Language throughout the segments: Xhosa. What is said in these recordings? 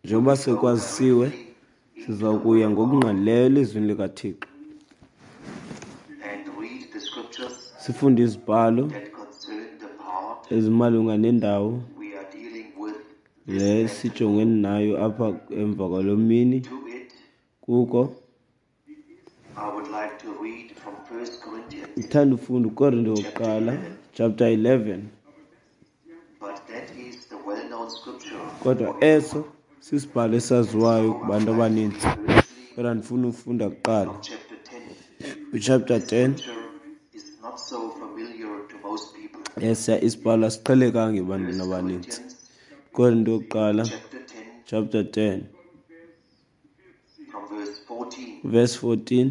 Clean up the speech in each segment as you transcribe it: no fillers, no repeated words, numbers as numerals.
Njengoba sekwazisiwe, siza kuya ngokungqalileyo elizwini likaThixo sifunde izibhalo ezimalunga nendawo le sijongene nayo apha emva kwalo mini. Kuko ndithanda ufunda uKorinte wokuqala chapter 11, kodwa eso sisibhalo esaziwayo kubantu abaninzi, kodwa ndifuna ufunda kuqala kwichapter 10. Esiya isibhalo asiqhelekanga ebantwini abaninzi. Korinte yokuqala chapter 10 verse 14.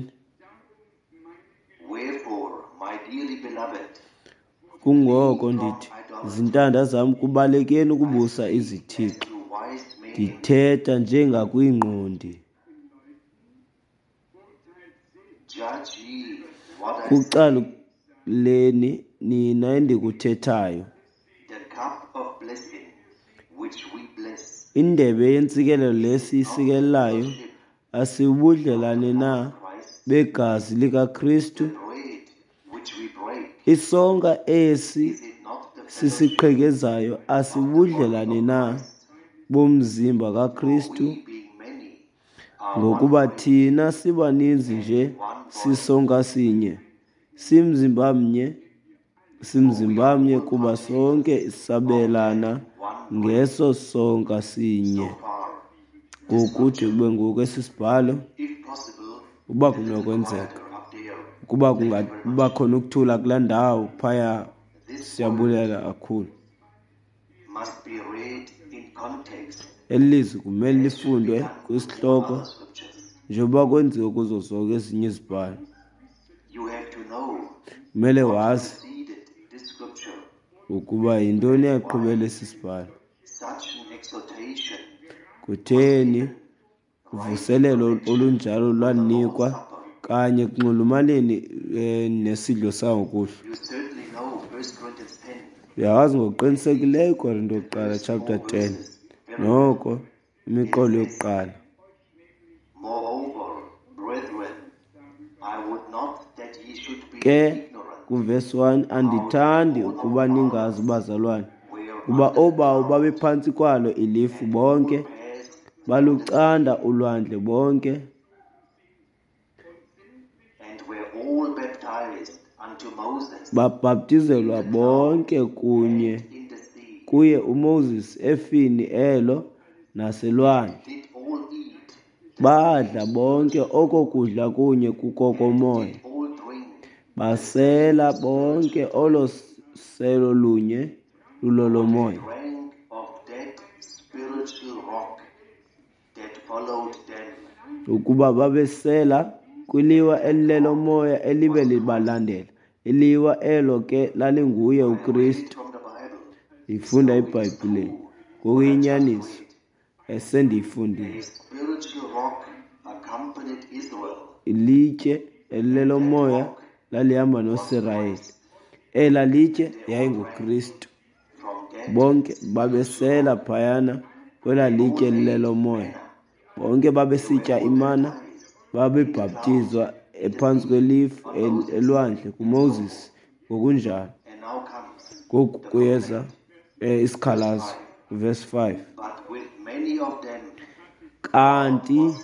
Kungoko ndithi, zintanda zam, kubalekeni ukubusa izithixo. Ndithetha njengakwiingqondi. Kucaluleni nina endikuthethayo. Indebe yentsikelelo le siyisikelelayo, asibudlelane na begazi likaKristu? Isonka esi sisiqhekezayo, asibudlelane na bomzimba kaKristu? Ngokuba thina sibaninzi nje sisonka sinye, simzimba mnye, simzimba mnye, kuba sonke sabelana ngeso sonka sinye. Ngokude kube ngoku esi sibhalo, uba kunokwenzeka, ukuba kungaba khona ukuthula kulaa ndawo phaya, siyabulela kakhulu. Eli lizwi kumele lifundwe kwisihloko njengoba kwenziwe kuzo zonke ezinye izibhalo. Kumele wazi ukuba yintoni eyaqhubela esi sibhalo. Kutheni uvuselelo olunjalo lwanikwa kanye ekunxulumaneni nesidlo sangokuhlwa? Uyawazi ngokuqinisekileyo uKorinte wokuqala chapter 10, noko imiqolo yokuqala. Ke kuvesi 1, andithandi ukuba ningazi, bazalwane, kuba oobawo babephantsi kwalo ilifu bonke, balucanda ulwandle bonke, babhaptizelwa bonke kunye kuye uMoses efini elo naselwandle. Badla bonke oko kudla kunye kukokomoya, basela bonke olo selo lunye lulolomoya. Ukuba babesela kwiliwa elilelomoya elibe libalandela, iliwa elo ke lalinguye uKristu. Ndiyifunda eBhayibhileni ngokuyinyaniso esendiyifundile. Ilitye elilelomoya lalihamba noSirayeli. Ela litye yayinguKristu. Bonke babesela phayana kwela litye elilelomoya. Bonke babesitya imana, babebhaptizwa ephantsi kwelifu elwandle kuMoses ngokunjalo. Ngoku kuyeza isikhalazo, verse 5. Kanti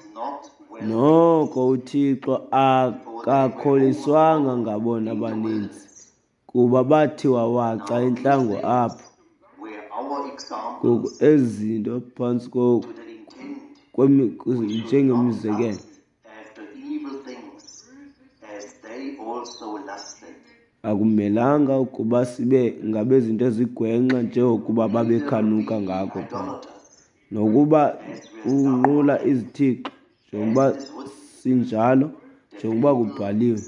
noko uThixo akakholiswanga ngabona baninzi, kuba bathiwa waca entlango apho. Ngoku ezi zinto phantsi njengemizekelo. Akumelanga ukuba sibe ngabezinto ezigwenxa njengokuba babekhanuka ngako phaa, nokuba unqula izithixo njengoba sinjalo, njengoba kubhaliwe.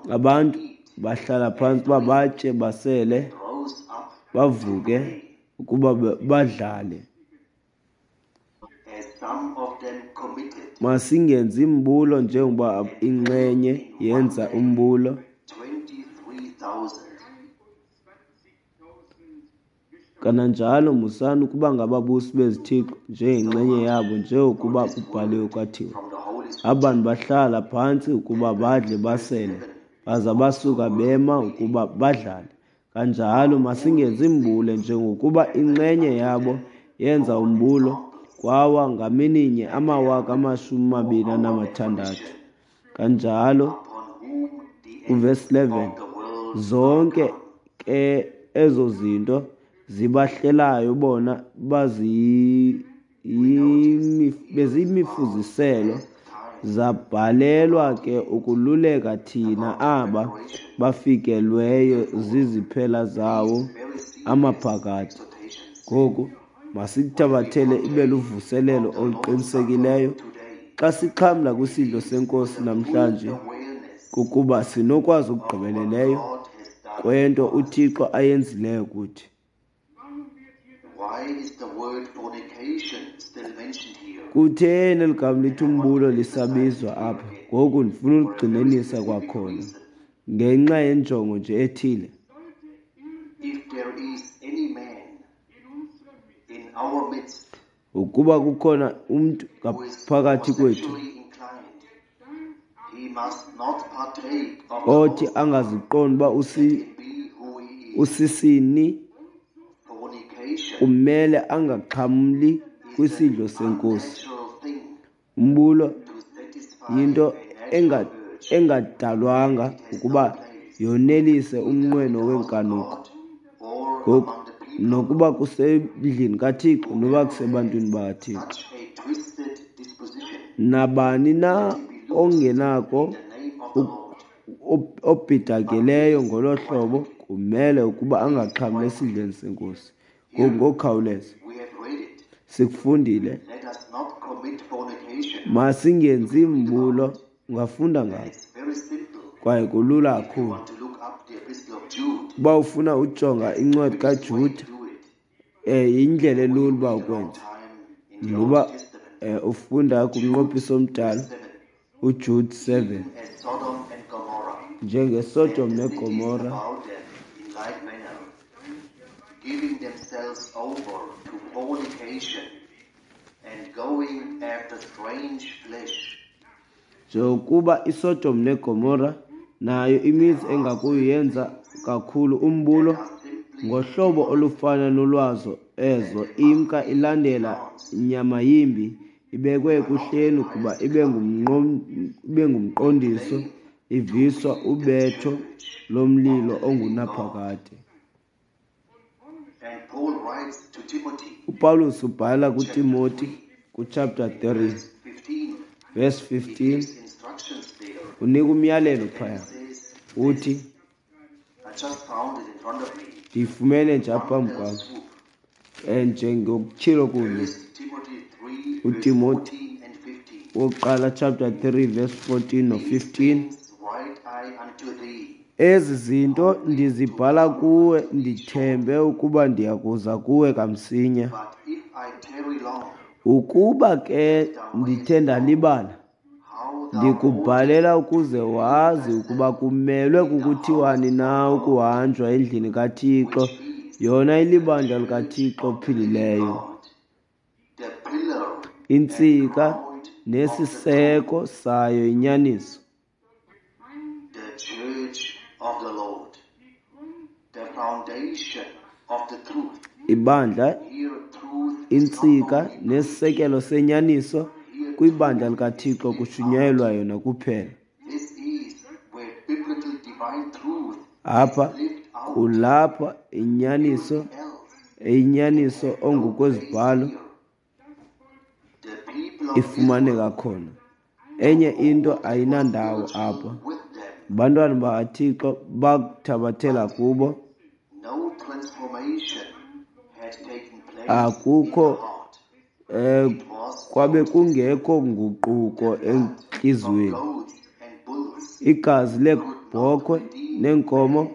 Abantu bahlala phantsi uba batye, basele, bavuke ukuba badlale. Masingenzi mbulo njengoba inxenye yenza umbulo. Kananjalo musani ukuba ngababusi bezithixo njengenxenye yabo, njengokuba kubhaliwe kwathiwa, Abantu bahlala phantsi ukuba badle basele, baza basuka bema ukuba badlale. Kanjalo masingenzi mbule njengokuba inxenye yabo yenza umbulo, kwawa ngamininye 26,000. Kanjalo kuvesi 11, zonke ke ezo zinto zibahlelayo bona beziyimifuziselo, zabhalelwa ke ukululeka thina aba bafikelweyo ziziphela zawo amaphakade. Ngoku masikuthabathele ibe luvuselelo oluqinisekileyo xa sixhamla kwisidlo seNkosi namhlanje, kukuba sinokwazi okugqibeleleyo kwento uThixo ayenzileyo kuthi. Kutheni eli gama lithi umbulo lisabizwa apha? Ngoku ndifuna uligxininisa kwakhona ngenxa yenjongo nje ethile. Ukuba kukhona umntu ngaphakathi kwethu othi angaziqondi uba usisini, kumele angaxhamli kwisidlo seNkosi. Umbulo yinto engadalwanga ukuba yonelise umnqweno weenkanuko. Ngoku, nokuba kusendlini kaThixo noba kusebantwini bakaThixo, nabani na ongenako obhidakeleyo ngolo hlobo kumele ukuba angaxhamli esidlweni seNkosi. Ngoku ngokukhawuleza sikufundile, masingenzi mbulo. Ungafunda ngako kwaye kulula kakhulu. Uba ufuna ujonga incwadi kaJuda, yindlela elula uba ukwenze ngoba ufunda kumnqophiso omdala, uJude 7, njengeSodom neGomora, giving themselves over to fornication and going after strange flesh. Njengokuba iSodom neGomora nayo imizi engakuyo yenza kakhulu umbulo ngohlobo olufana nolwazo ezo, imka ilandela nyama yimbi, ibekwe ekuhleni ukuba ibe ngumqondiso, iviswa ubetho lomlilo ongunaphakade. UPawulos ubhala kuTimoti kuchapter 3 verse 15, unika umyalelo phaya, uthi, ndiyifumene nje apha phambi kwam, njengokutyhilo kunye uTimoti wokuqala chapter 3 verse 14 no-15, ezi zinto ndizibhala kuwe ndithembe ukuba ndiyakuza kuwe kamsinya. Ukuba ke ndithe ndalibala, ndikubhalela ukuze wazi ukuba kumelwe kukuthiwani na ukuhanjwa endlini kaThixo, yona ilibandla likaThixo ophilileyo, intsika nesiseko sayo inyaniso. The church of the Lord, the foundation of the truth. Ibandla, intsika nesisekelo senyaniso, kwibandla likaThixo kushunyayelwa yona kuphela. Apha kulapha inyaniso eyinyaniso ongokwezibhalo ifumaneka khona. Enye into ayinandawo apha. Abantwana bakaThixo bakuthabathela kubo. Akukho kwabe kungekho nguquko entliziyweni. Igazi leebhokhwe neenkomo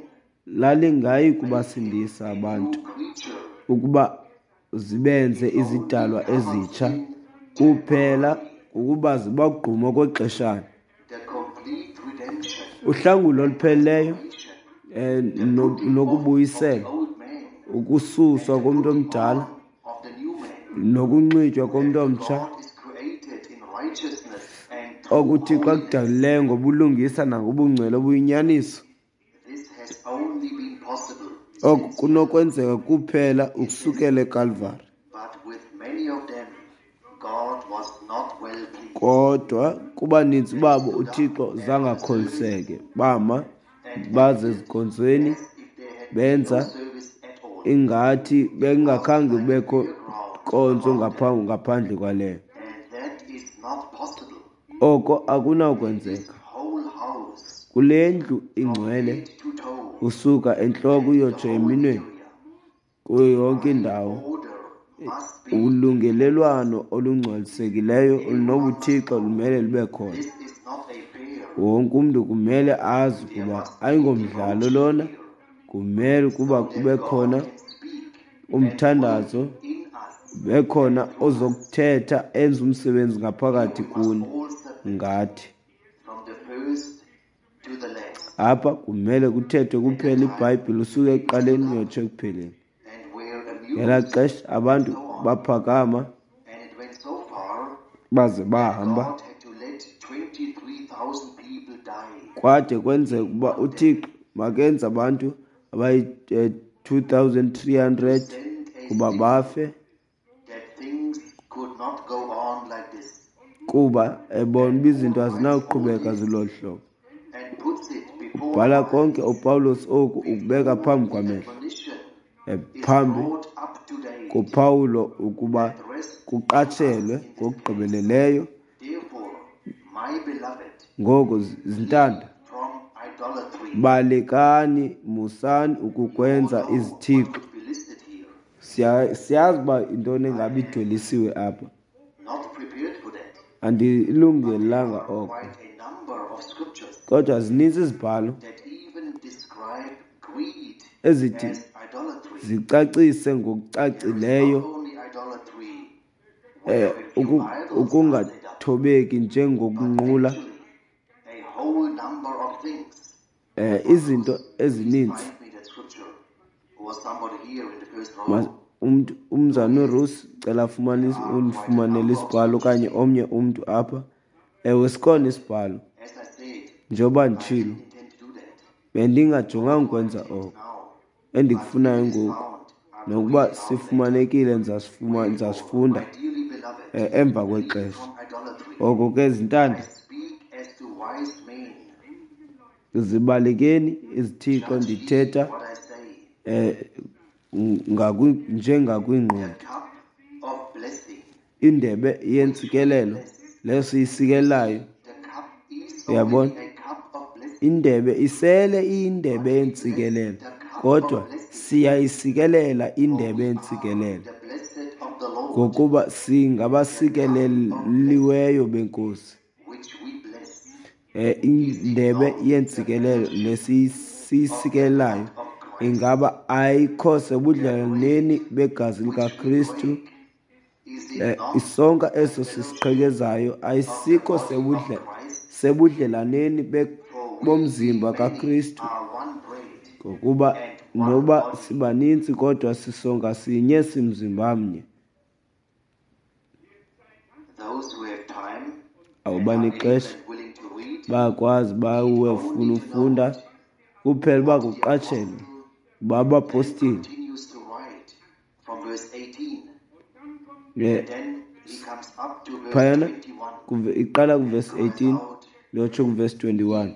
lalingayi kubasindisa abantu ukuba zibenze izidalwa ezitsha, kuphela ukuba zibagquma okwexeshana. Uhlangulo olupheleleyo nokubuyisela, Ukususwa komntu omdala nokunxitywa komntu omtsha okuThixo akudalileyo ngobulungisa nangobungcwele obuyinyaniso. Oku kunokwenzeka kuphela ukusukela eKalvari. Kodwa kubaninzi babo uThixo zange akholiseke, bama baze ezinkonzweni benza ingathi bekungakhange kubekho nkonzo ngaphandle kwaleyo. Oko akunakwenzeka. Kule ndlu ingcwele, usuka entloko uyotsho eminweni, kuyo yonke indawo, ulungelelwano olungcwalisekileyo olunobuthixo lumele lube khona. Wonke umntu kumele azi ukuba ayingomdlalo lona, kumele ukuba kube khona umthandazo, kube khona ozokuthetha enze umsebenzi ngaphakathi kuni ngathi. Apha kumele kuthethwe kuphela iBhayibhile usuke ekuqaleni uyotsho ekupheleni. Ngelaa xesha abantu baphakama baze bahamba kwade kwenzeka ukuba uThixo makenze abantu abayi-2300 kuba bafe kuba ebona uba izinto azinawuqhubeka zilolu hlobo. Ubhala konke uPawulos oku ukubeka phambi kwamehlo, phambi koPawulo ukuba kuqatshelwe ngokugqibeleleyo. Ngoko zintanda, balekani, musani ukukwenza izithixo. Siyazi uba yintoni engabe idwelisiwe apha. Andilungelanga oko. Kodwa zininzi izibhalo ezithi zicacise ngokucacileyo ukungathobeki njengokunqula izinto ezininzi. Umntu umzana uRusi cela afumane undifumanele isibhalo okanye omnye umntu apha. Ewe, sikhona isibhalo. Njengoba nditshilo, bendingajonganga ukwenza oko. Endikufunayo ngoku nokuba sifumanekile ndizasifunda emva kwexesha. Oko ke zintanda, zibalekeni izithixo, ndithetha njengakwingqondi. Indebe yentsikelelo leyo siyisikelayo, uyabona, indebe isele iyindebe yentsikelelo, kodwa siyayisikelela indebe yentsikelelo ngokuba singabasikeleliweyo beNkosi. Indebe yentsikelelo lesiyisikelelayo ingaba ayikho sebudlelwaneni begazi likaKristu. Isonka eso sisiqhekezayo ayisikho sebudlelaneni bomzimba kaKristu, ngokuba noba sibaninzi kodwa sisonka sinye simzimba mnye. Awubanixesha bayakwazi bawefuna ufunda kuphela uba kuqatshelwe uba abapostile phayana iqala kuvesi 18 yotsho kuvesi 21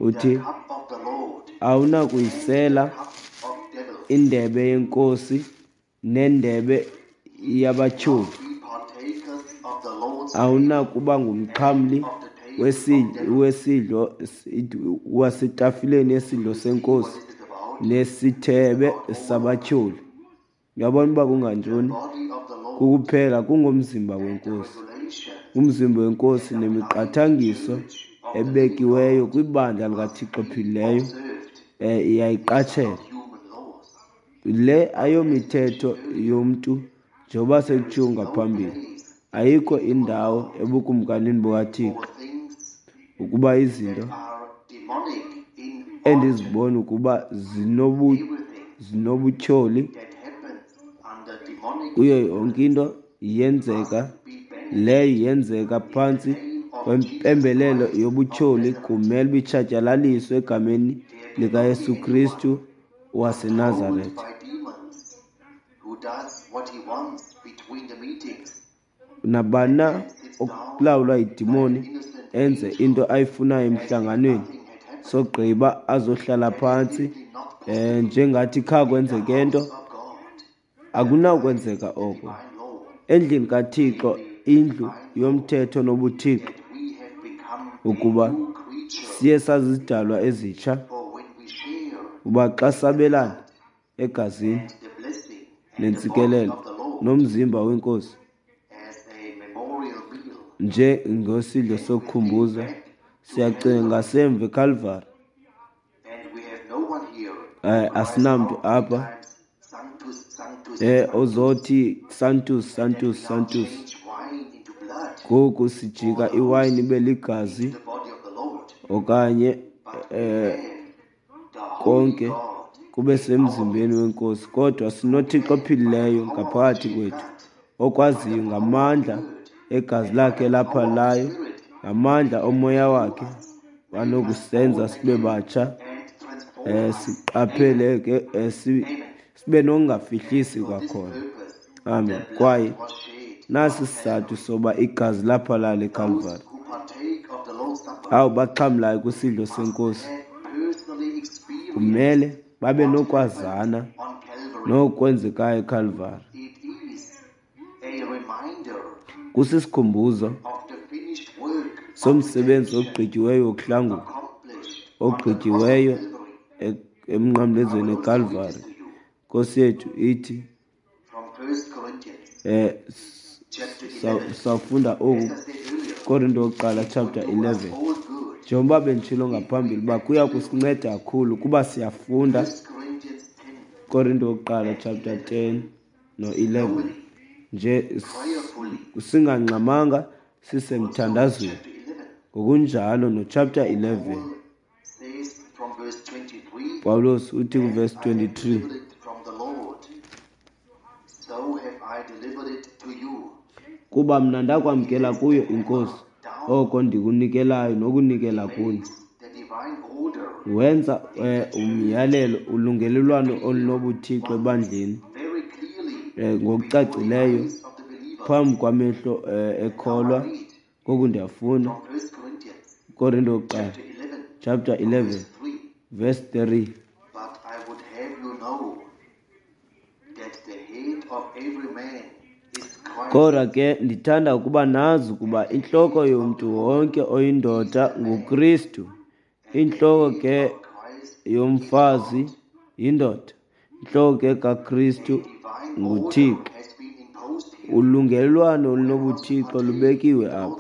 uthi awunakuyisela indebe yenkosi nendebe yabatyholi, awunakuba ngumxhamli wesidlo wasetafileni yesidlo senkosi nesithebe sabatyholi. Uyabona uba kungantoni? Kukuphela kungomzimba wenkosi, umzimba wenkosi nemiqathangiso ebekiweyo kwibandla likaThixo ophilileyo iyayiqatshela. Le ayomithetho yomntu njengoba sekutshiwo ngaphambili. Ayikho indawo ebukumkanini bukaThixo ukuba izinto endizibona ukuba zinobutyholi kuyo yonke into yenzeka leyo yenzeka phantsi kwempembelelo yobutyholi kumele bitshatyalaliswe egameni likaYesu Kristu waseNazaretha. Nabani na okulawulwa yidimoni enze into ayifunayo emhlanganweni sogqiba azohlala phantsi njengathi kha kwenzeke nto, akunawukwenzeka oko. Endlini kaThixo, indlu yomthetho nobuThixo, ukuba siye sazizidalwa ezitsha, uba xa sabelana egazini nentsikelelo nomzimba weNkosi njengosidlo sokukhumbuza, siyacinga ngasemva eKalvari. Asinamntu apha ozothi Sanctus, Sanctus, Sanctus. Ngoku sijika iwayini ibe ligazi okanye konke kube semzimbeni weNkosi, kodwa sinoThixo ophilileyo ngaphakathi kwethu okwaziyo ngamandla egazi lakhe laphalalayo, ngamandla omoya wakhe banokusenza sibe batsha, siqaphele ke, sibe nokungafihlisi kwakhona. Amen. Kwaye nasi isizathu soba igazi laphalala eKalvari. Abo baxhamlayo kwisidlo seNkosi kumele babe nokwazana nokwenzekayo eKalvari. Kusisikhumbuzo somsebenzi ogqityiweyo wokuhlangula, ogqityiweyo emnqamlezweni eKalvari. Nkosi yethu ithi, sawufunda oku Korinto wokuqala chapter 11. Njengoba benditshilo ngaphambili uba kuya kusinceda kakhulu kuba siyafunda Korinto wokuqala chapter 10 no-11 nje singangxamanga sisemthandazweni. Ngokunjalo no-chapter 11 Pawulos uthi kuverse 23, kuba mna ndakwamkela kuyo iNkosi oko ndikunikelayo nokunikela kuni. Wenza umyalelo ulungelelwano olunobuthixo ebandleni ngokucacileyo phambi kwamehlo ekholwa. Ngoku ndiyafunda Korinto wokuqala chapter 11 verse 3. But I would have you know that the head of every man is Christ. Kodwa ke ndithanda ukuba nazi ukuba intloko yomntu wonke oyindoda nguKristu, intloko ke yomfazi yindoda, intloko ke kaKristu nguThixo. Ulungelelwano olunobuthixo lubekiwe apha.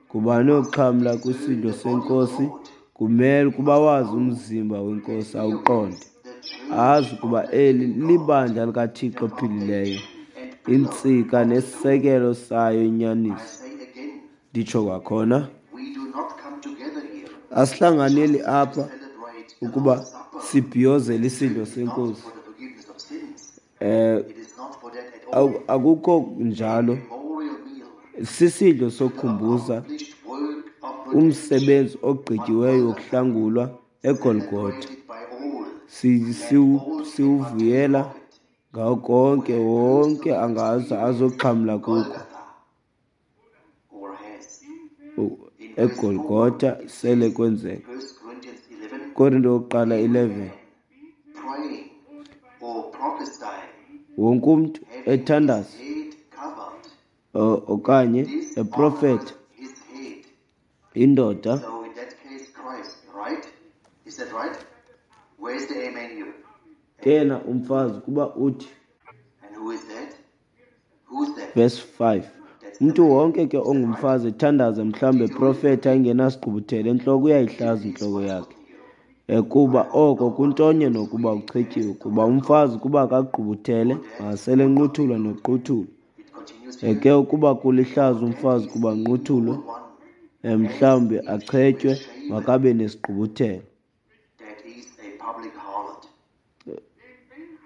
Ngubani oxhamla kwisidlo seNkosi kumele ukuba wazi umzimba weNkosi, awuqonde, azi ukuba eli libandla likaThixo ophilileyo, intsika nesisekelo sayo inyaniso. Nditsho kwakhona, asihlanganeli apha ukuba sibhiyozele isidlo seNkosi. Akukho njalo. Sisidlo sokukhumbuza umsebenzi ogqityiweyo wokuhlangulwa eGolgotha. Siwuvuyela ngawo konke, wonke angaza azoxhamla kuko. eGolgotha sele kwenzeka. Korinto wokuqala 11. Wonke umntu ethandaza okanye eprofetha, indoda kena umfazi kuba uthi, verse 5, umntu wonke ke ongumfazi ethandaza mhlawumbi eprofetha engenasigqubuthelo entloko uyayihlaza intloko yakhe, kuba oko kuntonye nokuba uchetyiwe, kuba umfazi kuba akagqubuthele makasele enquthulwa noquthulwa. Ke ukuba kulihlaza umfazi kuba nquthulwe, mhlawumbi achetywe, makabe nesigqubuthelo.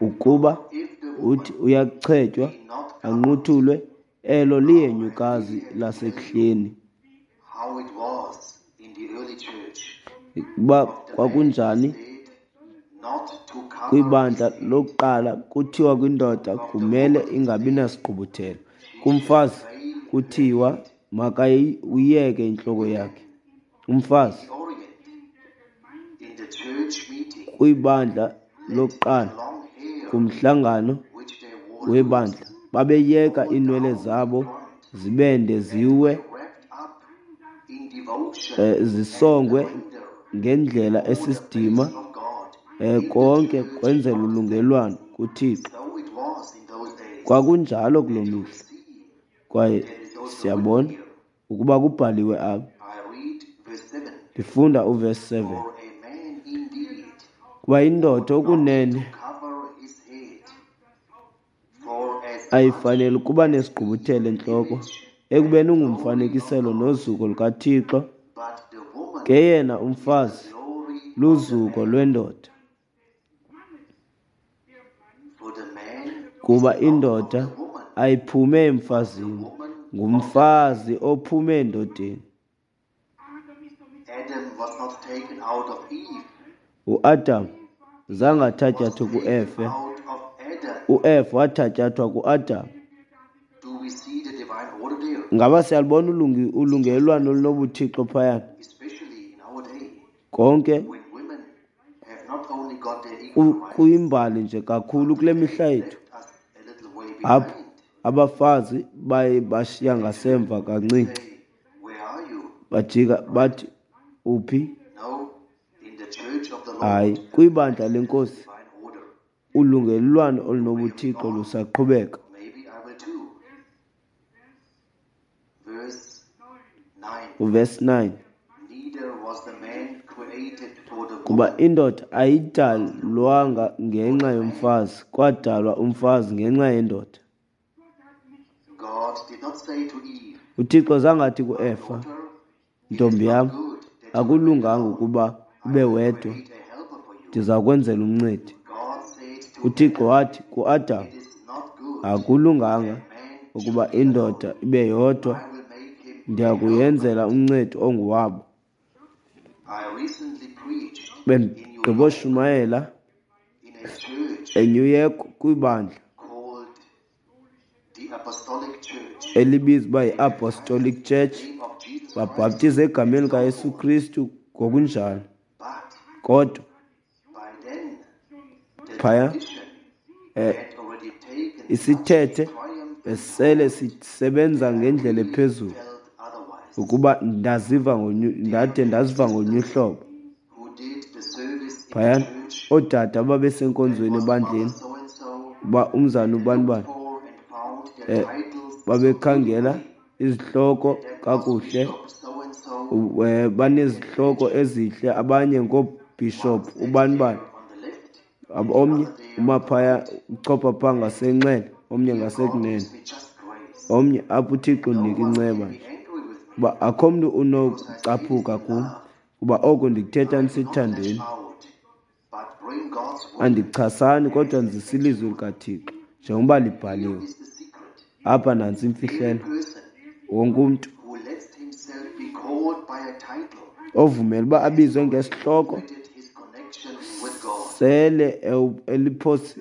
Ukuba If the uthi woman uyachetywa be not covered, anquthulwe, elo lihenyukazi lasekuhleni. how it was in the early church, Ukuba of the man kwakunjani said not to cover his kwibandla head, lokuqala, kuthiwa kwindoda of the kumele woman ingabi said nasigqubuthelo, she shall kumfazi veil her kuthiwa head. makayiyeke intloko yakhe. In Umfazi the Orient, in the church meeting, kwibandla let the lokuqala, long hair kumhlangano which they wore webandla, loose babeyeka fall iinwele down in zabo front zibende and ziwe, were wrapped up in devotion and zisongwe surrender ngendlela before the face esisidima, of God in the konke church kwenzela of the ulungelwano saints. kuThixo. So it was in those days. Kwakunjalo kuloo And you mihla. see Kwaye that is also written siyabona here. ukuba kubhaliwe apha. I read verse 7. Ndifunda uvesi 7. For a man indeed Kuba indoda ought not to okunene cover his head, for as much ayifanele ukuba as he is nesigqubuthelo the entloko, image and ekubeni glory of ungumfanekiselo God, nozuko lukaThixo, but the woman ke yena is the umfazi glory of the luzuko man. lwendoda. For the man is Kuba not of indoda the woman, ayiphume but the emfazini, woman of the man. ngumfazi ophume endodeni. Adam was not taken out of Eve, UAdam zange Eve was athatyathwe taken kuEfe, out of Adam. uEfa wathatyathwa kuAdam. Do we see the divine order there? Ngaba siyalubona It's just ulungelelwano amazing, olunobuthixo phayana? especially in our day, Konke when women have not only got their equal rights, kuyimbali nje kakhulu but kule they mihla have yethu, left us a little way apho behind. abafazi baye bashiya They turn ngasemva and kancinci, say, "Where are you?" bajika bathi, uphi? No, in the church of the Hayi, Lord, there kwibandla is still lenkosi divine order. ulungelelwano Where we olunobuthixo are, lusaqhubeka. maybe I will too. Verse 9. Uvesi 9. Neither was the man created for the Kuba woman, indoda but the ayidalwanga woman for ngenxa the man. yomfazi, kwadalwa umfazi ngenxa yendoda. God did not say to Eve, UThixo zange athi "My kuEfa, daughter, it is ntombi not yam, good that you remain akulunganga alone. ukuba I ube will wedwa, create a helper for you." ndiza kwenzela umncedi. God said to UThixo Adam, wathi kuAdam, "It is not good akulunganga that man ukuba should be indoda alone. ibe yodwa, I will make him a ndiya helper." kuyenzela umncedi onguwabo. I recently preached in New York Bendigqiboshumayela in a church eNew York kwibandla called the Apostolic Church. elibizwa uba They baptized yi-Apostolic in the Church, name of Jesus Christ babhaptiza egameni and so likaYesu forth. Kristu ngokunjalo. But Kodwa by then, the phaya tradition had already taken such a isithethe triumphant besele hold sisebenza that I ngendlela really ephezulu felt otherwise. ukuba ndaziva ndade There were ndaziva ngolunye sisters uhlobo. who did the service in the Phayana church oodade that ababesenkonzweni was Mother ebandleni, so and so, uba umzana and they ubani looked bani, for and found their titles so babekhangela beautifully, izihloko and that was kakuhle, Bishop so and so, and they banezihloko mentioned ezihle, abanye one ngoobhishophu sat ubani there bani, on the left and the omnye other there uma on the phaya right. uchopha phaa And ngasenxele, omnye here God ngasekunene, gives me just grace, omnye apho uThixo and no undinika one can inceba be nje, angry with me uba akho mntu because I say this unokucaphuka in kum, love. kuba oko ndikuthetha I do not lash ndisithandeni. out, but bring God's word Andichasani kodwa as a ndizisa ilizwi factual. likaThixo njengoba Here libhaliwe. is the secret. Apha nantsi Every imfihlelo. person Wonke umntu who lets himself be called by a title ovumela uba has abizwe already ngesihloko forfeited his connection with God. sele eliphos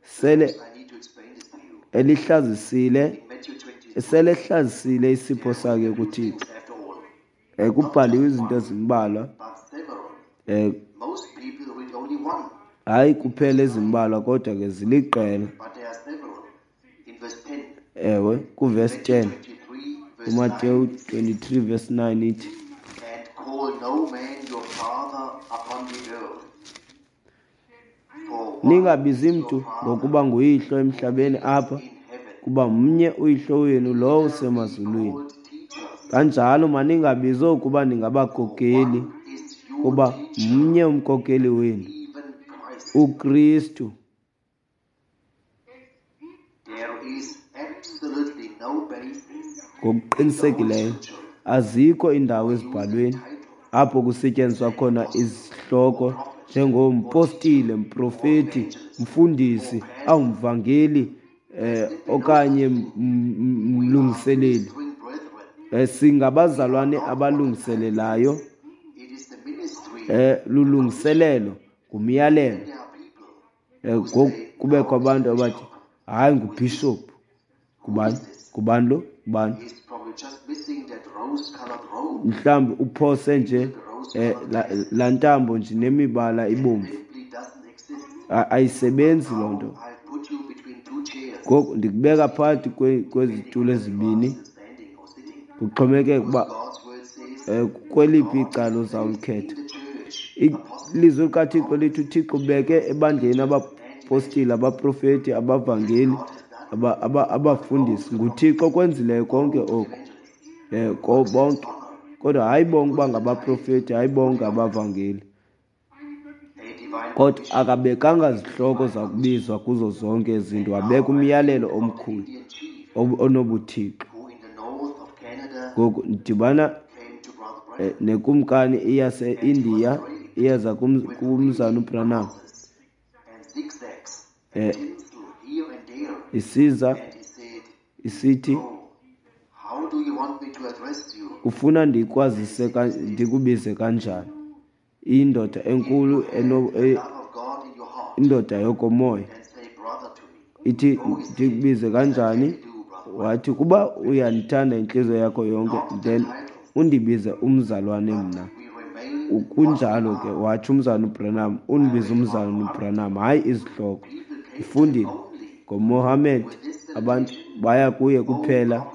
sele Perhaps I need to explain this to you. elihlazisile In Matthew 23, sele ehlazisile isipho there are sakhe written a few kuThixo. things after all, not Kubhaliwe just izinto one, ezimbalwa, but several. Most people read only one hayi in kuphela verse 9, ezimbalwa kodwa ke ziliqela. but there are several in verse 10. Ewe, In kuvesi Matthew 10, 23, verse 9, uMateyu it says, 23 verse 9 ithi, "And call no man your father upon the earth, for one ningabizi is your mntu Father ngokuba nguyihlo who emhlabeni is apha, in heaven. kuba mnye uyihlo wenu lowo Neither be usemazulwini. called teachers, Kanjalo maningabizi okuba for ningabakokeli, one is your kuba teacher, mnye umkokeli wenu, even Christ." uKristu. There is absolutely no basis in the Holy Ngokuqinisekileyo Scripture azikho iindawo for using ezibhalweni titles apho kusetyenziswa like khona apostle or izihloko prophet. njengompostile, mprofeti, mfundisi, awumvangeli okanye mlungiseleli. Singabazalwane abalungiselelayo. Lulungiselelo ngumyalelo. Ngoku kubekho abantu abathi hayi ngubhishophu. Ngubani? Ngubani lo? Ngubani? Mhlawumbi uphose nje laa ntambo nje nemibala ibomvu. Ayisebenzi loo nto. Ngoku ndikubeka phakathi kwezitulo ezibini, kuxhomekeke ukuba kweliphi icala uzawulikhetha. Ilizwi likaThixo lithi uThixo ubeke ebandleni abapostile, abaprofeti, abavangeli, abafundisi. NguThixo okwenzileyo konke oku, bonke. Kodwa hayi bonke uba ngabaprofeti, hayi bonke abavangeli. Kodwa akabekanga zihloko zakubizwa kuzo zonke izinto, wabeka umyalelo omkhulu onobuthixo. Ngoku ndidibana nekumkani iyase-India iyeza kumzana uBranham, isiza isithi ufuna ndikwazise ndikubize kanjani? Indoda enkulu, indoda yokomoya ithi ndikubize kanjani? Wathi kuba uyandithanda intliziyo yakho yonke, then undibize umzalwane mna. Kunjalo ke, watsho umzalwane uBranham, undibize umzalwane uBranham, hayi izihloko. Ndifundile ngoMohammed, abantu baya kuye kuphela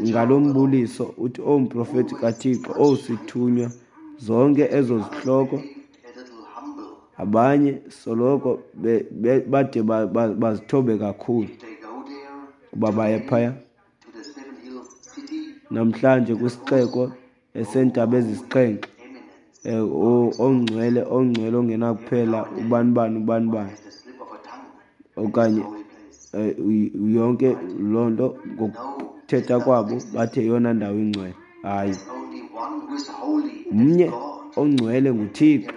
ngalo mbuliso uthi o mprofeti kaThixo, o sithunywa, zonke ezo zihloko. Abanye soloko bade bazithobe kakhulu kuba baye phaya namhlanje kwisixeko eseentaba ezisixhenxe, ongcwele, ongcwele ongenakuphela, ubani bani, ubani bani, okanye yonke loo nto ngokuthetha kwabo bathe yeyona ndawo ingcwele. Hayi, mnye ongcwele nguThixo,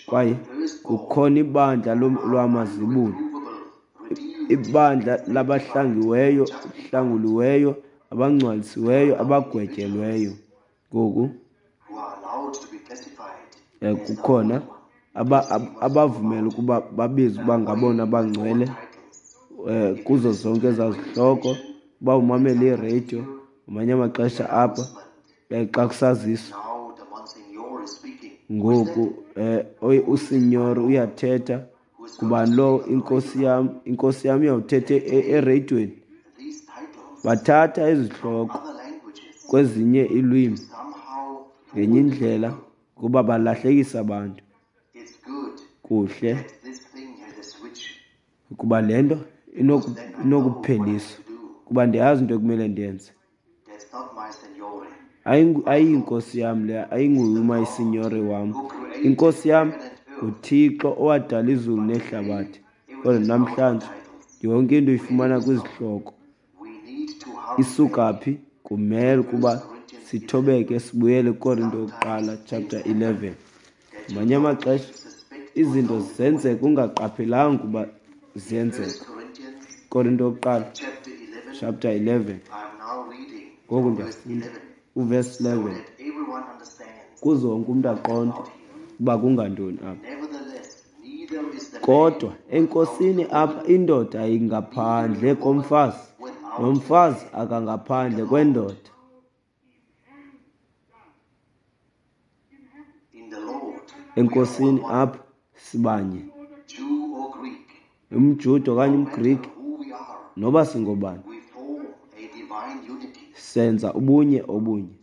kwaye kukhona ibandla lwamazibulo, ibandla labahlangiweyo, hlanguliweyo, abangcwalisiweyo, abagwetyelweyo. Ngoku kukhona abavumela ukuba babizwe uba ngabona bangcwele kuzo zonke ezaa zihloko. Uba umamele iradio ngamanye amaxesha apha xa kusaziswa, ngoku usinyori uyathetha, ngubani lo? Inkosi yam, inkosi yam iyawuthetha ereyidweni. Bathatha izihloko kwezinye iilwimi ngenye indlela kuba balahlekisa abantu. Kuhle ukuba le nto inokupheliswa, kuba ndiyazi into ekumele ndiyenze. Ayiyinkosi yam le, ayinguye umayisinyori wam. Inkosi yam nguThixo owadala izulu nehlabathi. Kodwa namhlanje yonke into uyifumana kwizihloko. Isuka phi? Kumele ukuba sithobeke sibuyele kuKorinto yokuqala chapter 11. Ngamanye amaxesha izinto zenzeka ungaqaphelanga ukuba ziyenzeka. Korinto yokuqala chapter 11. Ngoku ndiyafunda uverse 11 kuze wonke umntu aqonde uba kungantoni apha. Kodwa enkosini apha indoda ingaphandle komfazi, nomfazi akangaphandle kwendoda. Enkosini apha sibanye, umJuda okanye umGrike, noba singobani, senza ubunye obunye.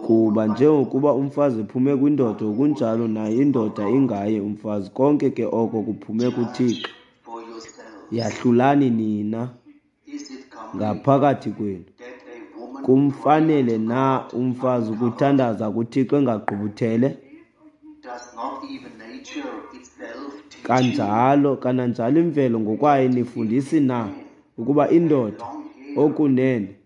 Kuba njengokuba umfazi ephume kwindoda, ngokunjalo naye indoda ingaye umfazi. Konke ke oko kuphume kuThixo. Yahlulani nina ngaphakathi kwenu. Kumfanele na umfazi ukuthandaza kuThixo engagqubuthele? Kanjalo, kananjalo imvelo ngokwayo inifundisi na ukuba indoda okunene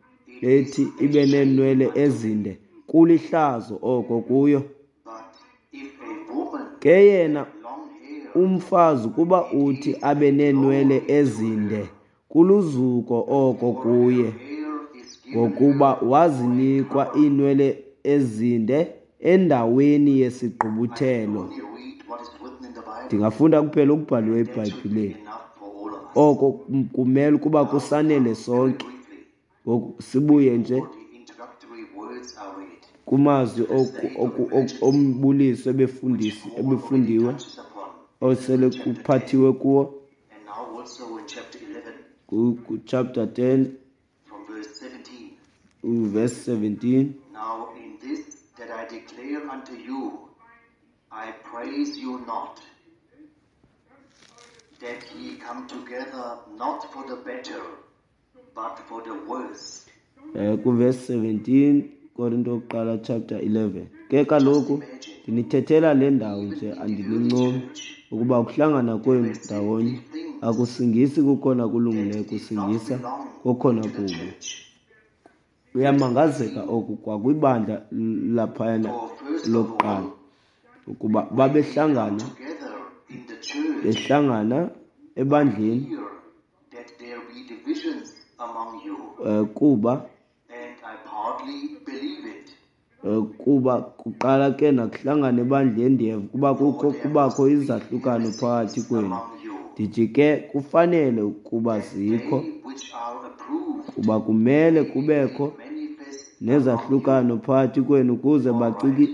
ethi ibe neenwele ezinde, kulihlazo oko kuyo. Ke yena umfazi ukuba uthi abe neenwele ezinde, kuluzuko oko kuye, ngokuba wazinikwa iinwele ezinde endaweni yesigqubuthelo. Ndingafunda kuphela okubhaliweyo eBhayibhileni. Oko kumele ukuba kusanele sonke. Ngoku sibuye nje kumazwi ombuliso ebefundiwe, osele kuphathiwe kuwo ku-chapter 10 verse 17. Now in this that I declare unto you, I praise you not, that ye come together not for the better, but for the worse. Ku-verse 17 Korinto yokuqala chapter 11. Ke kaloku ndinithethela le ndawo nje, andinincomi, ukuba ukuhlangana kwenu ndawonye akusingisi kukhona kulungileyo, kusingisa kokhona kubi. Kuyamangazeka oku kwakwibandla laphayana lokuqala, ukuba babehlangana, behlangana ebandleni, kuba kuba kuqala ke nakuhlangana ebandleni, ndiyeva ukuba kukho kubakho izahlukano phakathi kwenu. Ndithi ke kufanele ukuba zikho, kuba kumele kubekho nezahlukano phakathi kwenu, ukuze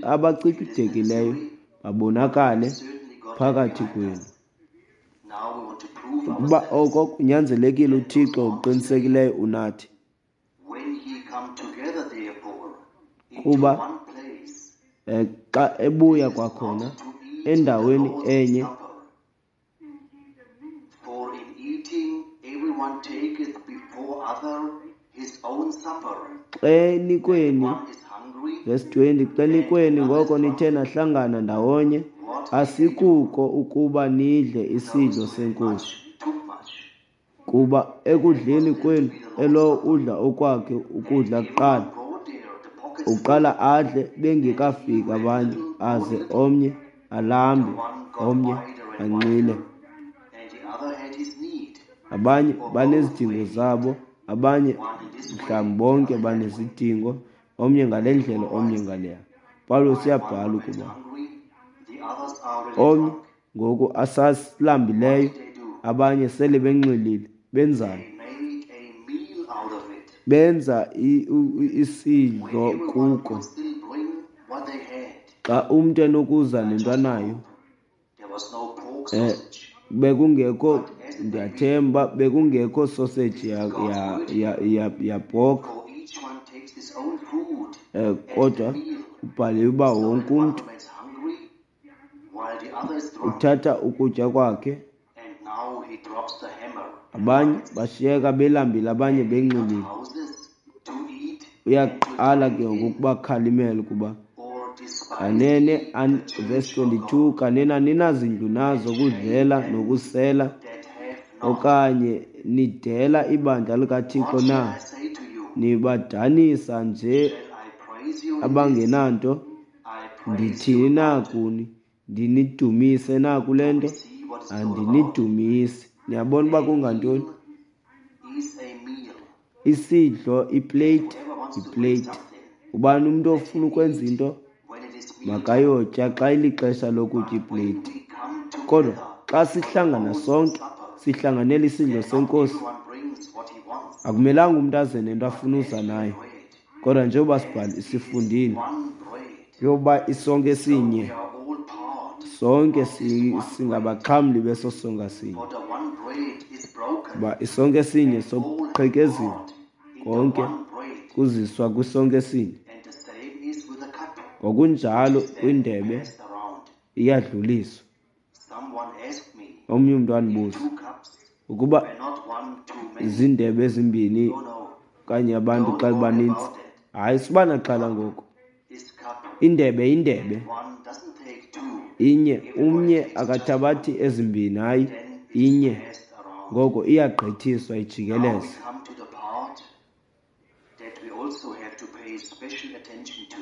abacikidekileyo babonakale phakathi kwenu. Ukuba oko kunyanzelekile, uThixo uqinisekileyo unathi. Kuba xa ebuya kwakhona endaweni enye, xenikweni, verse 20, xenikweni ngoko nithe nahlangana ndawonye, asikuko ukuba nidle isidlo seNkosi. Kuba ekudleni kwenu elowo udla okwakhe ukudla kuqala, uqala adle bengekafiki abanye, aze omnye alambe, omnye anxile. Abanye banezidingo zabo, abanye mhlawumbi bonke banezidingo, omnye ngale ndlela, omnye ngaleya. Pawulos uyabhala ukuba omnye ngoku asasilambileyo, abanye sele benxilile. Benzani? Benza isidlo kuko. Xa umntu enokuza nento anayo, bekungekho, ndiyathemba bekungekho sausage ya pork, kodwa ubhaliwe uba wonke umntu uthatha ukutya kwakhe. Abanye bashiyeka belambile, abanye benxilile. Uyaqala ke ngoku ukubakhalimela ukuba kanene, verse 22, kanene aninazindlu nazo kudlela nokusela, okanye nidela ibandla likaThixo na? Nibadanisa nje abangenanto? Ndithini na kuni? Ndinidumise na kule nto? Andinidumisi. Niyabona uba kungantoni? Isidlo, iplate, iplate. Ubani umntu ofuna ukwenza into makayotya xa ilixesha lokutya iplate. Kodwa xa sihlangana sonke, sihlanganela isidlo seNkosi, akumelanga umntu aze nento afuna uza nayo. Kodwa njengoba sibhali sifundile yoba isonke sinye, sonke singabaxhamli beso sonka sinye. Uba isonke sinye soqhekeziwe, konke kuziswa kwisonke sinye. Ngokunjalo kwindebe iyadluliswa. Omnye umntu andibuza ukuba zindebe ezimbini okanye abantu xa bebanintsi. Hayi, suba naxhala ngoku. Indebe indebe inye, umnye akathabathi ezimbini, hayi inye. Ngoko iyagqithiswa ijikeleze.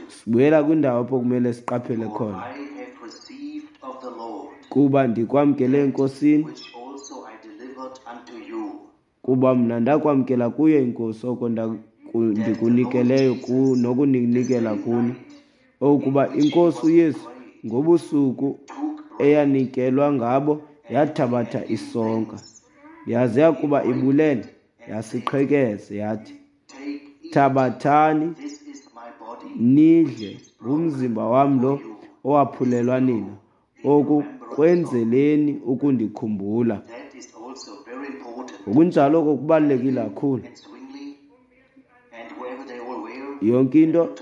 Sibuyela kwindawo apho kumele siqaphele khona. Kuba ndikwamkele eNkosini, kuba mna ndakwamkela kuyo iNkosi oko ndikunikeleyo nokuninikela kuni, okuba iNkosi uYesu ngobusuku eyanikelwa ngabo yathabatha isonka, yaze yakuba ibulele yasiqhekeza, yathi, thabathani nidle, ngumzimba wam lo owaphulelwa nina, oku kwenzeleni ukundikhumbula. Ngokunjalo oko kubalulekile kakhulu. Yonke into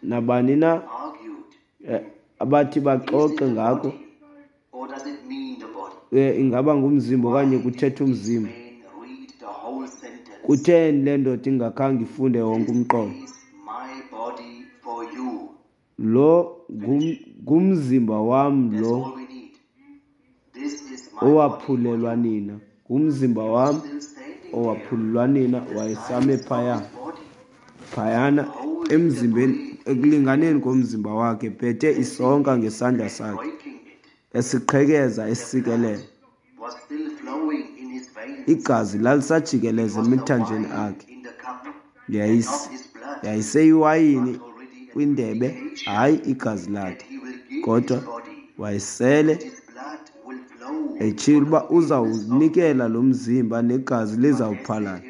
nabani na abathi baxoxe ngako, ingaba ngumzimba okanye kuthetha umzimba. Kutheni le ndoda ingakhange ifunde wonke umqolo? Lo ngumzimba wam lo owaphulelwa nina, ngumzimba wam owaphulelwa nina. Wayesame phayana emzimbeni, ekulinganeni komzimba wakhe, phethe isonka ngesandla sakhe, esiqhekeza esikelela. Igazi lalisajikeleza emithanjeni akhe. Yayiseyiwayini kwindebe, hayi igazi lakhe, kodwa wayesele etshilo uba uzawunikela lo mzimba negazi lizawuphalala.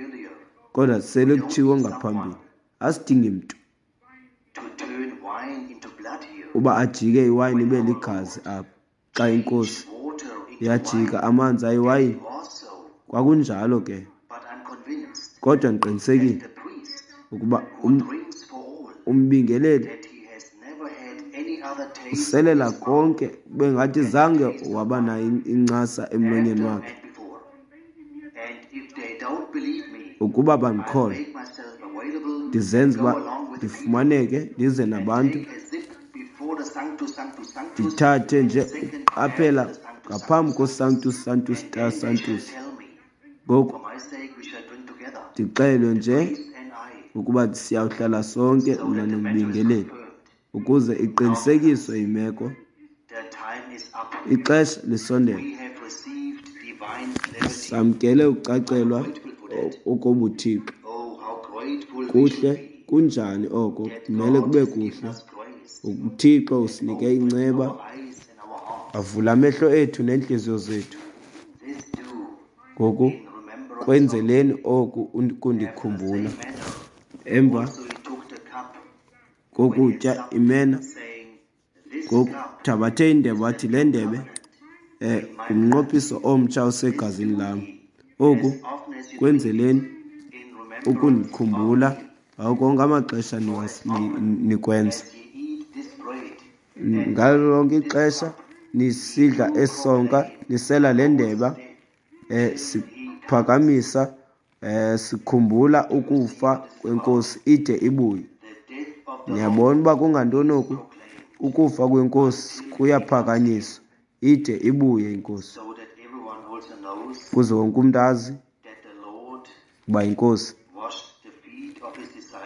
Kodwa sele kutshiwo ngaphambili, asidingi mntu uba ajike iwayini ibe ligazi apha. Xa iNkosi yajika amanzi ayiwayini, kwakunjalo ke. Kodwa ndiqinisekile ukuba umbingeleli uselela konke bengathi zange waba nayo incasa emlonyeni wakhe. Ukuba bandikholwa, ndizenze uba ndifumaneke, ndize nabantu, ndithathe nje uqaphela ngaphambi koSanctus Sanctus ta Sanctus. Ngoku ndixelwe nje ukuba siyawuhlala sonke mna nombingeleli, ukuze iqinisekiswe imeko. Ixesha lisondele. Samkele ukucacelwa okobuthixo. Kuhle kunjani oko? Kumele kube kuhle. UThixo usinike inceba, avula amehlo ethu neentliziyo zethu. Ngoku kwenzeleni oku kundikhumbula. Emva kokutya imena, ngoku thabathe indebe, wathi le ndebe ngumnqophiso omtsha osegazini lam. Oku kwenzeleni ukundikhumbula ngawo konke amaxesha nikwenza. Ngalo lonke ixesha nisidla esonka, nisela le ndeba, siphakamisa, sikhumbula ukufa kweNkosi ide ibuye. Niyabona uba kungantoni oku? Ukufa kweNkosi kuyaphakanyiswa ide ibuye iNkosi, ukuze wonke umntu azi uba iNkosi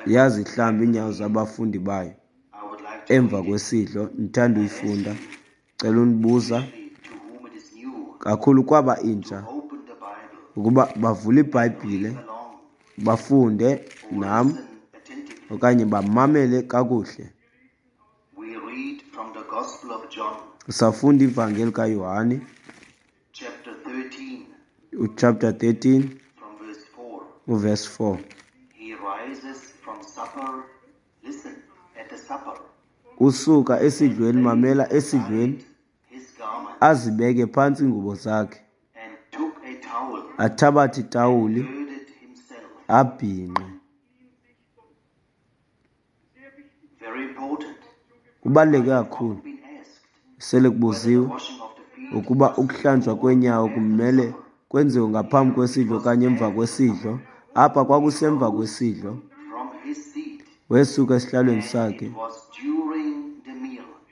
yazihlamba iinyawo zabafundi bayo emva kwesidlo. Ndithanda uyifunda, cela unibuza kakhulu kwaba intsha ukuba bavule iBhayibhile bafunde nam okanye bamamele kakuhle. Safunda ivangeli kaYohane chapter 13 verse 4. Usuka esidlweni, mamela esidlweni, azibeke phantsi ingubo zakhe, athabathe itawuli, abhinqe. Kubaluleke kakhulu. Sele kubuziwe ukuba ukuhlanjwa kweenyawo kumele kwenziwe ngaphambi kwesidlo okanye emva kwesidlo. Apha kwakusemva kwesidlo. Wesuka esihlalweni sakhe,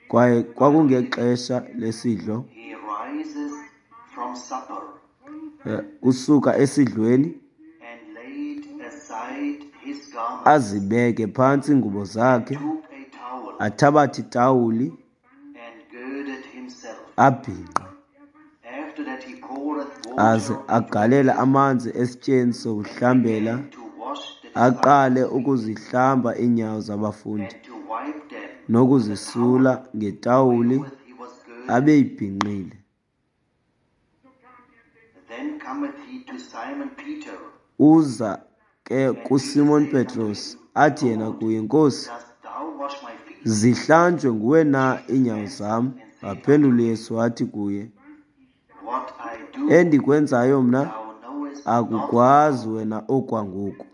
kwaye kwakungexesha lesidlo. Usuka esidlweni Azibeke phantsi iingubo zakhe, athabathe itawuli, abhinqe, aze agalele amanzi esityeni sokuhlambela, aqale ukuzihlamba iinyawo zabafundi nokuzisula ngetawuli abeyibhinqile. Uza ke kuSimon Petros, athi yena kuye, Nkosi, zihlanjwe nguwe na iinyawo zam? Waphendula uYesu wathi kuye, Endikwenzayo mna akukwazi wena okwangoku,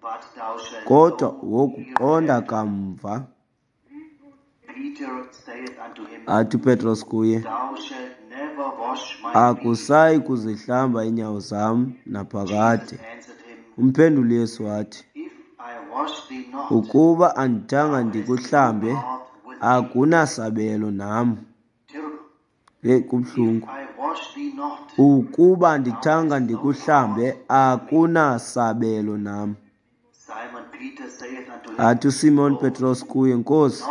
kodwa wokuqonda kamva. Athi uPetros kuye, Akusayi kuzihlamba iinyawo zam naphakade. Umphendula uYesu wathi, Ukuba andithanga ndikuhlambe, akunasabelo nam. Heyi, kubuhlungu. Ukuba andithanga ndikuhlambe, akunasabelo nam. Athi uSimon Petros kuye, Nkosi,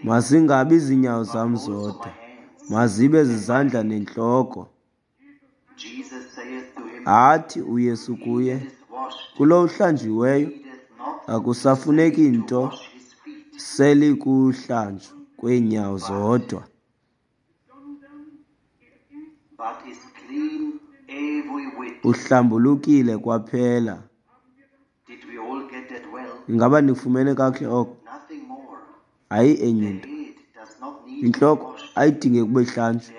mazingabi ziinyawo zam zodwa, mazibe zizandla nentloko. Athi uYesu kuye, kulo uhlanjiweyo akusafuneki nto selikuhlanjwa kweenyawo zodwa. Uhlambulukile kwaphela. Ingaba nikufumene kakuhle oko? Hayi enye into. Intloko ayidingeki ukuba ihlanjwe.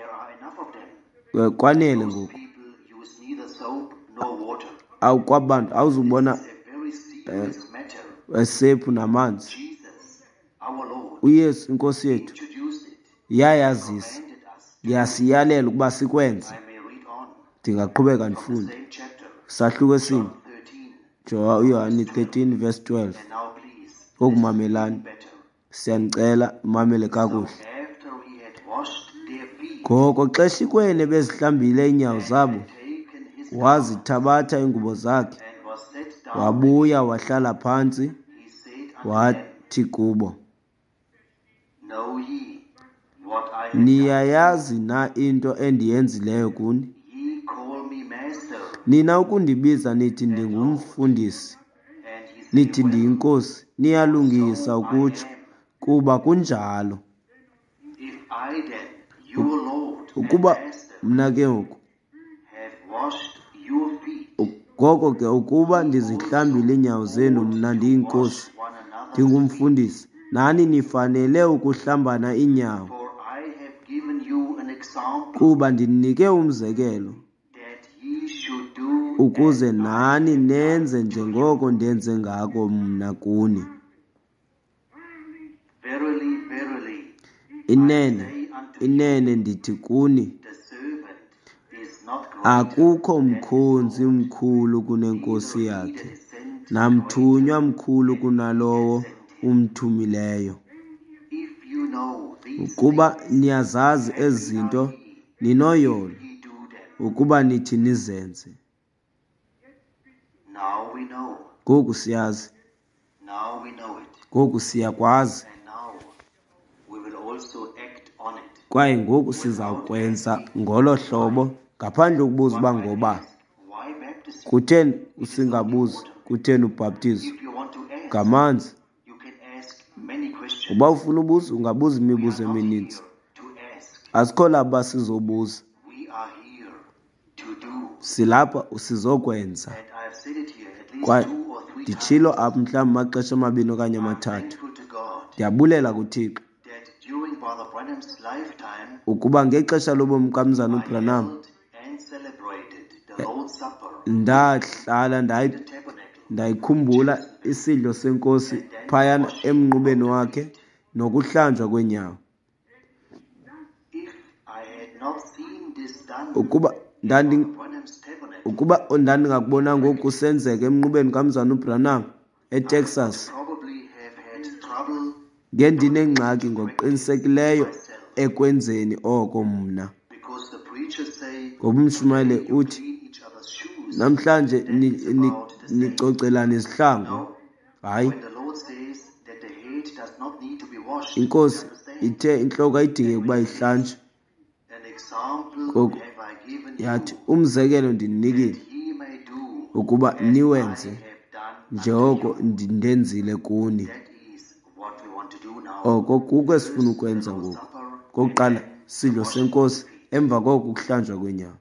Kwanele ngoku. Kwaba bantu awuzubona esephu namanzi. UYesu iNkosi yethu yayazisa, yasiyalela ukuba sikwenze. Ndingaqhubeka ndifunde. Sahluko esinye, uYohane 13 verse 12. Ngoku mamelani, siyanicela mamele kakuhle. Ngoko xeshikweni bezihlambile iinyawo zabo, wazithabatha iingubo zakhe, wabuya wahlala phantsi, wathi kubo, Niyayazi na into endiyenzileyo kuni? Nina ukundibiza nithi ndingumfundisi, nithi ndiyinkosi, niyalungisa ukutsho, kuba kunjalo. Ukuba mna ke ngoku, ngoko ke ukuba ndizihlambile iinyawo zenu, mna ndiyinkosi, ndingumfundisi, nani nifanele ukuhlambana iinyawo, kuba ndininike umzekelo ukuze nani nenze njengoko ndenze ngako mna kuni. Inene, inene ndithi kuni, akukho mkhonzi mkhulu kunenkosi yakhe, namthunywa mkhulu kunalowo umthumileyo. Ukuba niyazazi ezi zinto, ninoyolo ukuba nithi nizenze. Ngoku siyazi. Ngoku siyakwazi. Kwaye ngoku sizawukwenza ngolo hlobo ngaphandle kokubuza uba ngoba. Kutheni usingabuzi kutheni ubhaptizo? Ngamanzi. Uba ufuna ubuza, ungabuza imibuzo emininzi. Asikho lapha sizobuza. Silapha sizokwenza. Kwaye nditshilo apha mhlawumbi amaxesha amabini okanye amathathu. Ndiyabulela kuThixo ukuba ngexesha lobomi kaMzana uBranham ndahlala ndayikhumbula isidlo senkosi phayana emnqubeni wakhe nokuhlanjwa kweenyawo. Ukuba ndandingakubona ngoku kusenzeka emnqubeni kaMzana uBranham eTexas, ngendinengxaki ngokuqinisekileyo ekwenzeni oko mna. Ngoba umshumayeli uthi, namhlanje nicocelana izihlangu. Hayi, iNkosi ithe intloko ayidingeki ukuba ihlanjwe. Ngoku yathi, umzekelo ndininikile ukuba niwenze njengoko ndenzile kuni. Oko kuko esifuna ukwenza ngoku. Kokuqala, isidlo seNkosi, emva koko ukuhlanjwa kweenyawo.